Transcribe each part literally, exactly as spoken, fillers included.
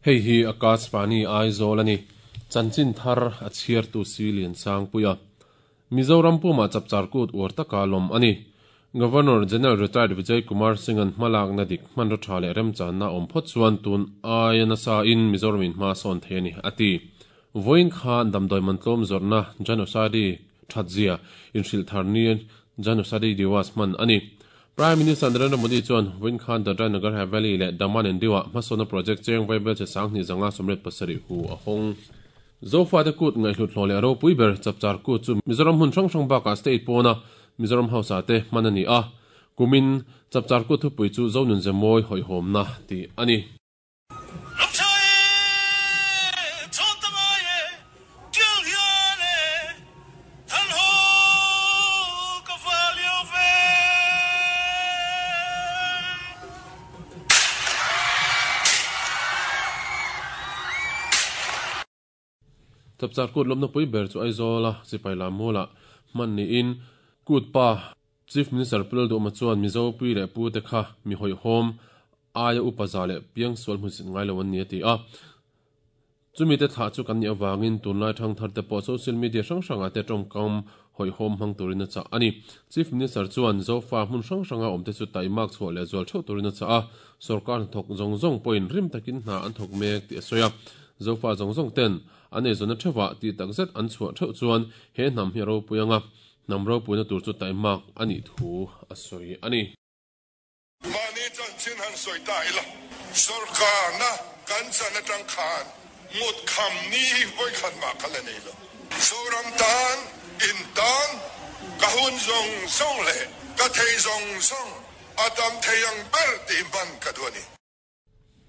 Hei hi Akashvani Aizawl ani chanchin thar a chhiar tu si lian sang puia Mizoram puma chapchar kut uar taka lawm ani Governor General Retired Vijay Kumar Singh an hmalak na dik hman ro tha leh remchan na awm phawt chuan tun aia nasa in Mizoram in hma sawn thei ani ati voin khan damdawi mantlawm zawrhna Jan Aushadhi thatzia in hrilh thar ni Jan Aushadhi Diwas hman ani Prime Minister Narendra Modi chuan voin khan Dadra Nagar Haveli leh Daman and Diu ah hmasawna project cheng vaibel che sanghnih zanga sawmriat pasarih hu a hawng Zofa te kut ngaihhlut hlawh leh ropui ber chapchar kut chu Mizoram hmun hrang hrang bakah state pawna Mizoram House ah te hman ani a kumin chapchar kut thupui chu Zonun Zemawi hawihhawmna tih ani. Chapchar kut lawmna pui ber chu Aizawl a sipai lam mualah hman niin kut pa Chief Minister Pu Lalduhma chuan Mizo pui leh pu te kha mi hawihhawm aia upa za leh piang sual hmun sit ngai lo an ni a ti a. Chumi te thlah chu kan nih avangin tunlai thang thar te pawh social media hrang hrangah te tawngkam hawihhawm hmang turin a chah ani. Chief Minister chuan Zofa hmun hrang hranga awm te chu taimak chhuah leh zual theuh turin a chah a. Sorkar hnathawk zawng zawng pawhin rim takin hna an thawk mek tih a sawi a. Zofa zawng zawng ten an eizawnna theuhah tih takzet an chhuah theuh chuan he hnam hi a ropui anga hnam ropuina tur chu taimak anih thu a sawi ani. Mahni chanchin han sawi ta ila sorkarna kan chan atang khan ngut kham ni hi vawi khat mah kha la nei lo. Zoram tan in tan ka hun zawng zawng leh ka thei zawng zawng a tam thei ang ber tih hman ka duh ani.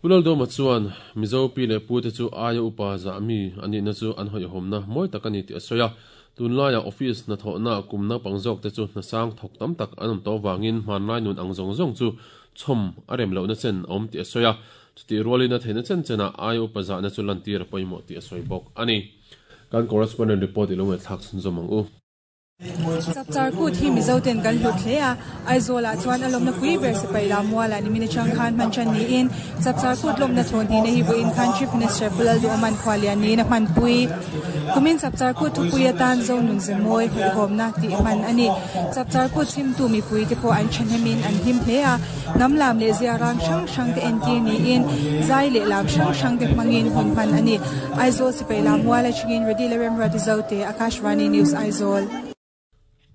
Pu Lalduhma chuan Mizo pi leh pu te chu aia upa zah mi anihna chu an hawihhawmna mawi tak ani tih a sawi a. Tunlaiah office hnathawhna kum naupang zawk te chu hnasang thawk tam tak an awm tawh avangin hmanlai nun ang zawng zawng chu chhawm a rem lohna chen a awm tih a sawi a. Chutih rualin a theihna chen chenah aia upa zahna chu lantir a pawimawh tih a sawi bawk ani. Kan correspondent report i lo ngaihthlak chhunzawm ang u. Chapchar kut hi Mizo ten kan hlut hle a, Aizawl ah chuan a lawmna pui ber sipai lam mualah nimin atang khan hman tan niin Chapchar kut lawmna thawn hnihna hi vawiin khan Chief Minister Pu Lalduhawman khualian niin a hmanpui. Kumin Chapchar kut thupui atan Zonun Zemawi hawihhawmna tih hman a ni. Chapchar kut chhimtu mipui te pawh an thahnemin an hlim hle a, hnam lam leh zia rang hrang hrang te entir niin zai leh lam hrang hrang te hmangin hun hman a ni. Aizawl sipai lam mual atangin Radila Remruati Zote, Akashvani News Aizawl.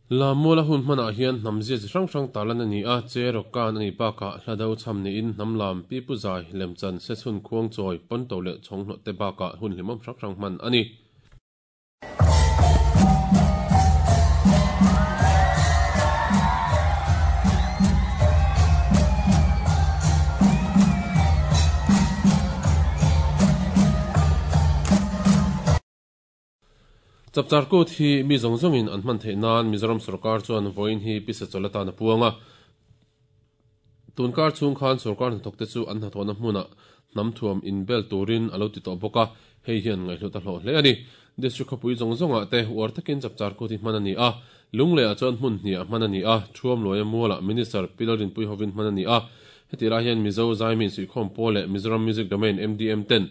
Lam muala hun hmanah hian hnam zia chi hrang hrang tarlan ani a, che rawk kan ani bakah hla do cham niin hnam lam pi pu zai lemchan sechhun khuang chawi pawnto leh chhawng hlawh te bakah hun hlimawm hrang hrang hman ani. Chapchar kut hi mi zawng zawngin an hman theih nan Mizoram sorkar chuan vawiin hi pisa chawlh atan a puang a. Tunkar chhung khan sorkar hnathawk te chu an hnathawhna hmunah hnam thuam inbel turin a lo ti tawh bawk a, hei hian ngaihhlut a hlawh hle ani. District khawpui zawng zawngah te uar takin chapchar kut hi hman ani a, Lungleiah chuan hmun hnih ah hman ani a, Thuam Luaia mualah Minister Pi Lalrinpui hovin hman ani a. Heti lai hian Mizo Zaimin Suihkhawm Pawl leh Mizoram Music Domain M D M ten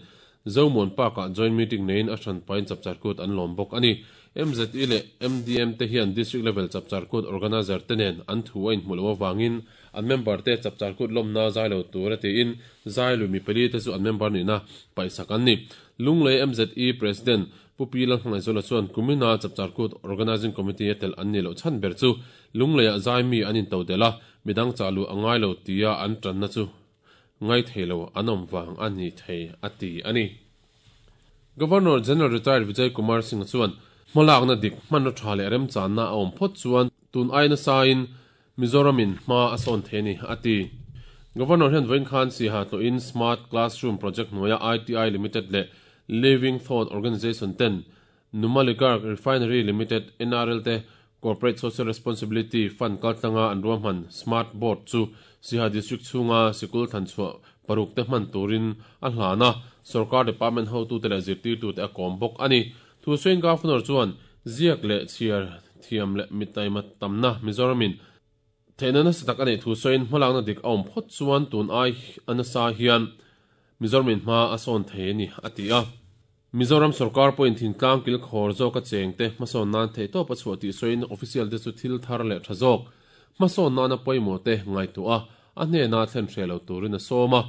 Zomuan Park ah joint meeting neiin a hran pain chapchar kut an lawm bawk ani. M Z E leh M D M te hian district level chapchar kut organizer te nen an thu a inhmuh loh avangin an member te chapchar kut lawmna zai lo tur a tiin zai lui mi pali te chu an member nihna paihsak an ni. Lunglei M Z E President Pu Pi Lalhmangaihzuala chuan kumina chapchar kut organizing committee a tel an ni loh chhan ber chu Lungleiah zai mi an into del a, midang chah luh a ngai lo tia an tanna chu ngai thei lo an awm vang a ni thei a ti ani. Governor General Retired Vijay Kumar Singh chuan hmalakna dik hmanraw tha leh remchanna a awm phawt chuan tun aina sain Mizoramin hma a sawn thei ani a ti. Governor hian vawiin khan Siha tlawhin Smart Classroom Project hnuaia I T I Limited leh Living Thought Organisation ten Numaligarh Refinery Limited N R L te Corporate Social Responsibility Fund kaltlanga an ruahman Smart Board chu Siha District chhunga sikul thlanchhuah paruk te hman turin a hlan a, sarkar department hotu te leh zirtirtu te a kawm bawk ani. Thu sawiin Governor chuan ziak leh chhiar thiam leh mitaima tamna Mizoramin theihna nasa tak ani thu sawiin hmalakna dik a awm phawt chuan tun ai anasa hian Mizoramin hma a sawn thei ani a ti a. Mizoram sarkar point thingtlang kil khawr zawk a chengte hmasawn nan thei tawp a chhuah tih sawiin official te chu thil thar leh tha zawk hmasawn nana pawimawh te ngaihtuah a a hnena thlen hre lo turin a sawm a.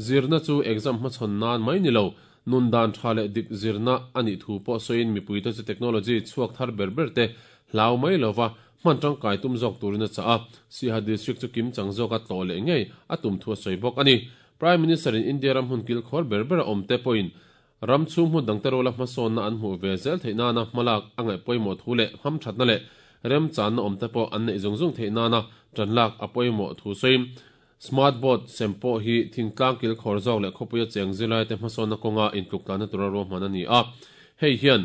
Zirna chu exam hmachhawn nan mai ni lo nun dan tha leh dik zirna ani thu pawh sawiin mipui te chu technology chhuak thar ber ber te hlau mai lova hman tangkai tum zawk turin a cha a. Siaha district chu kim chang zawk a tlo leh ngei a tum thu a sawi bawk ani. Prime Minister in India ram hun kil khawr ber ber a awm te pawhin ram chhung hmun dang te rola hmasawn na an hmuh ve zel theih nana hmalak a ngaih pawimawh thu leh ham thatna leh rem chan na awm te pawh an neih zung zung theih nana tan lak a pawimawh thu sawiin smart board sempo hi thingtlang kil khawr zawk leh khawpuia cheng zilai te hmasawn na kawnga intluk tlan tura ruahman ani a. Hei hian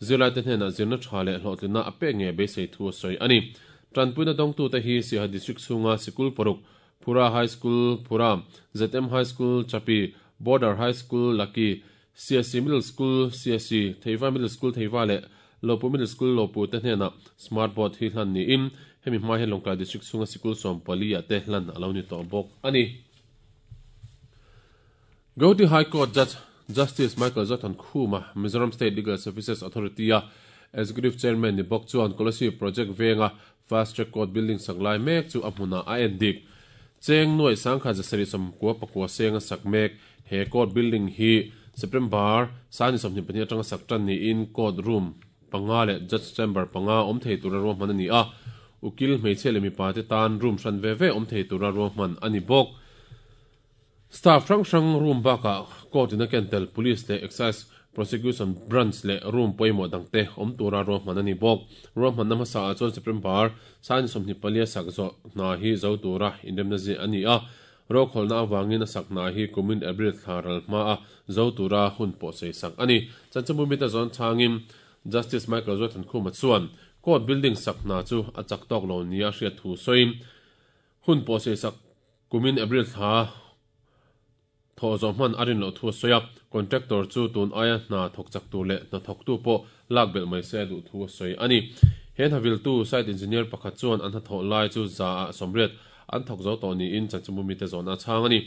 zilai te hnena zirna tha leh hlawhtlinna a pek nge beisei thu a sawi ani. Tanpuina dawngtu te hi Siaha district chhunga sikul paruk Phura High School Phura, Z M High School Chapi, Border High School Laki, C S C Middle School C S C, Theiva Middle School Theiva le Lopu Middle School Lopu te hnena smart board hi hlan ni in hemi hma hian Lawngtlai district chhunga sikul sawm pali ah te hlan alo ni tawh bawk ani. Guwahati High Court Judge Justice Michael Zothan Khuma Mizoram State Legal Services Authority a Executive Chairman ni bawk chuan Kolasib Project venga Fast Track Court Building saklai mek chu a hmuna a en dik. Cheng nuai sangkha jasari som kwa pakwa senga sak mek he court building hi September sani somni pahnih atanga sak tan ni in court room panga le judge chamber panga awm thei tura ruahman ani a. Ukil hmeichhe leh mipa te tan room hran ve ve awm thei tura ruahman ani bawk. Staff hrang hrang room bakah court in a kentel police le excise prosecution branch le room pawimawh dangte awm tura ruahman ani bawk. Ruahman na hmasa ah chuan September sani sawmhnih palia sak zawh hna hi zo tura inremna zia ani a. Rokhawlna awangin a sak hna hi kumin April thla ral hma a zo tura hun pawh sei sak ani. Chanchanbu mita zawn changin Justice Michael Zothan Khuma chuan court building sak hna chu a chak tawk lo nia hriat thu sawiin hun pawh sei sak kumin April thla thaw zawh hman a rin loh thu a sawi a. Contractor chu tun aia hna thawk chak tur leh hna thawk tu pawh lak belh mai se a duh thu a sawi ani. He hnavil tu site engineer pakhat chuan an hnathawh lai chu za ah sawmriat an thawk zo tawh niin chanchanbu mite zawn a chhang ani.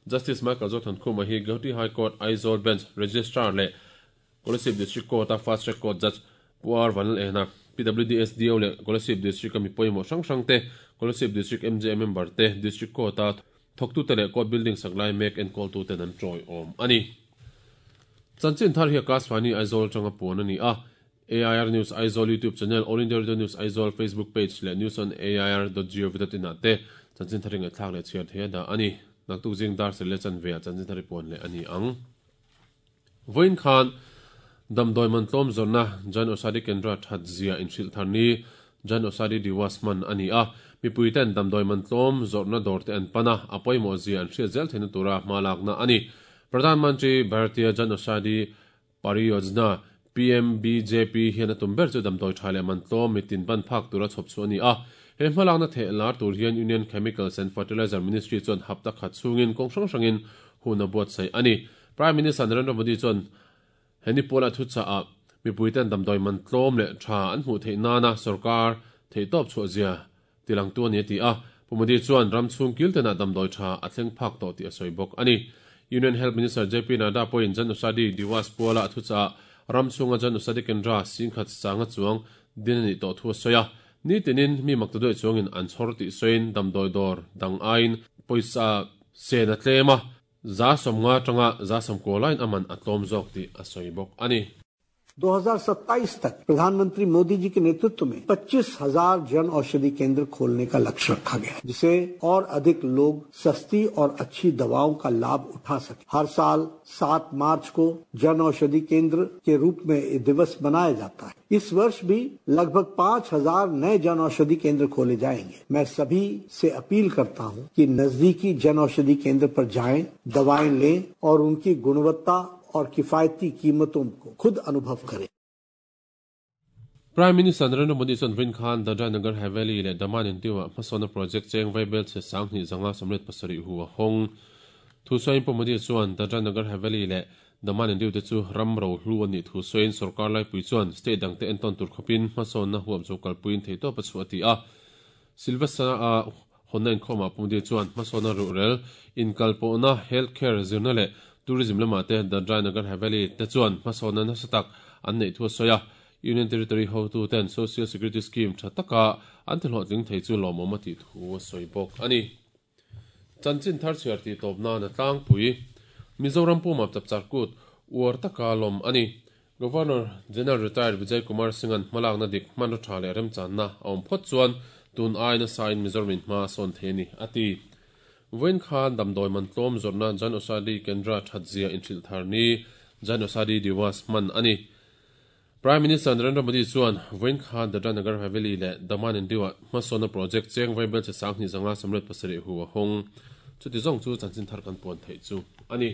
Justice Michael Zothan Khuma hi Guwahati High Court Aizawl Bench Registrar leh Kolasib District Court a Fast Track Court Judge Puar Vanal Ehna P W D S D O leh Kolasib District a mi pawimawh hrang hrang te Kolasib District M J member te District Court a thawktu te leh court building saklai mek enkawl tu ten an tawi awm ani. Chanchin thar hi Akashvani Aizawl tanga puan ani a. A I R News Aizawl YouTube channel, All India Radio News Aizawl Facebook page leh news on A I R dot gov dot in ah te chanchin thar ringa thlak leh chhiar thei a dah ani. Naktuk jing dar sel le chan ve a chanchin thar puan leh ani ang. Voin khan damdoi man tlawm zawrna Jan Aushadhi Kendra that zia inhrilh thar ni Jan Aushadhi Diwas man ani a. Mipui ten damdoi man tlawm zawrna dawr te an pana a pawimawh zia an hriat zel theihna tura hma lakna ani. Pradhan Mantri Bharatiya Jan Aushadhi Pariyojna P M B J P hian a tum ber chu damdoi tha leh man tlawm mitin ban phak tura chhawp chu ani a. He hmalakna theh lar tur hian Union Chemicals and Fertilizer Ministry chuan hapta khat chungin kawng hrang hrangin hun a buat sai ani. Prime Minister Narendra Modi chuan heni pawla thu cha a mipui ten damdoi man tlawm leh tha an hmuh theih nana sarkar thei tawp chhuah zia tilang tu ani ti a. Pu Modi chuan ram chhung kil tena damdoi tha a thleng phak tawh tih a sawi bawk ani. Union Health Minister J P Nadda pawhin Jan Aushadhi Diwas puala thu cha ram chhunga Jan Aushadhi Kendra singkhat sanga chuang din ani tawh thu a sawi a. Ni tinin mi maktadoi chuangin an chhawr tih sawiin damdoi dawr dang aiin pawisa sen a tlem a za sawmnga tanga za sawmkaw lain aman a tlawm zawk tih a sawi bawk ani. दो हज़ार सत्ताईस तक प्रधानमंत्री मोदी जी के नेतृत्व में पच्चीस हजार जन औषधि केंद्र खोलने का लक्ष्य रखा गया है, जिसे और अधिक लोग सस्ती और अच्छी दवाओं का लाभ उठा सके। हर साल सात मार्च को जन औषधि केंद्र के रूप में ये दिवस मनाया जाता है। इस वर्ष भी लगभग पांच हजार नए जन औषधि केंद्र खोले जाएंगे। मैं सभी से अपील करता हूं कि नजदीकी जन औषधि केंद्र पर जाएं, दवाएं लें और उनकी गुणवत्ता और किफायती कीमतों को खुद अनुभव करें। Prime Minister Narendra Modi chuan Vin Khan Dadra Nagar Haveli leh Daman and Diu ah hmasawna project cheng vaibel che sanghnih zanga sawmriat pasarih hu a hawng. Thu sawiin Pu Modi chuan Dadra Nagar Haveli leh Daman and Diu te chu ram ro hlu ani thu sawiin sarkar laipui chuan state dangte enton tur khawpin hmasawna huam chu kalpuiin thei tawp a chhuah a ti a. Silvassa a hawnna inkhawmah Pu Modi chuan hmasawna ruhrel inkalpawhna healthcare zirna leh Tourism lama te Dadra Nagar Haveli te chuan hmasawnna nasa tak an neih thu a sawi a. Union Territory hotu ten Social Security Scheme tha taka an ti hlawhtling thei chu lawmawm a tih thu a sawi bawk a ni. Chanchin thar chhiar tih tawp nan a tlangpui. Mizoram puma Chapchar Kut uar taka lawm a ni. Governor General Retired Vijay Kumar Singh-an hmalakna dik hmanraw tha leh remchanna a awm phawt chuan tun aina sain Mizoramin hma sawn thei a ni a ti. Vawiin khan damdawi man tlawm zawrhna Jan Aushadhi Kendra thatzia inhrilh thar ni Jan Aushadhi Diwas hman a ni. Prime Minister Narendra Modi chuan vawiin khan Dadra Nagar Haveli leh Daman and Diu-ah hmasawnna project cheng vaibel che sanghnih zanga samriat pasarih hu a hawng. Chuti zawng chu chanchin thar kan puan theih chu a ni.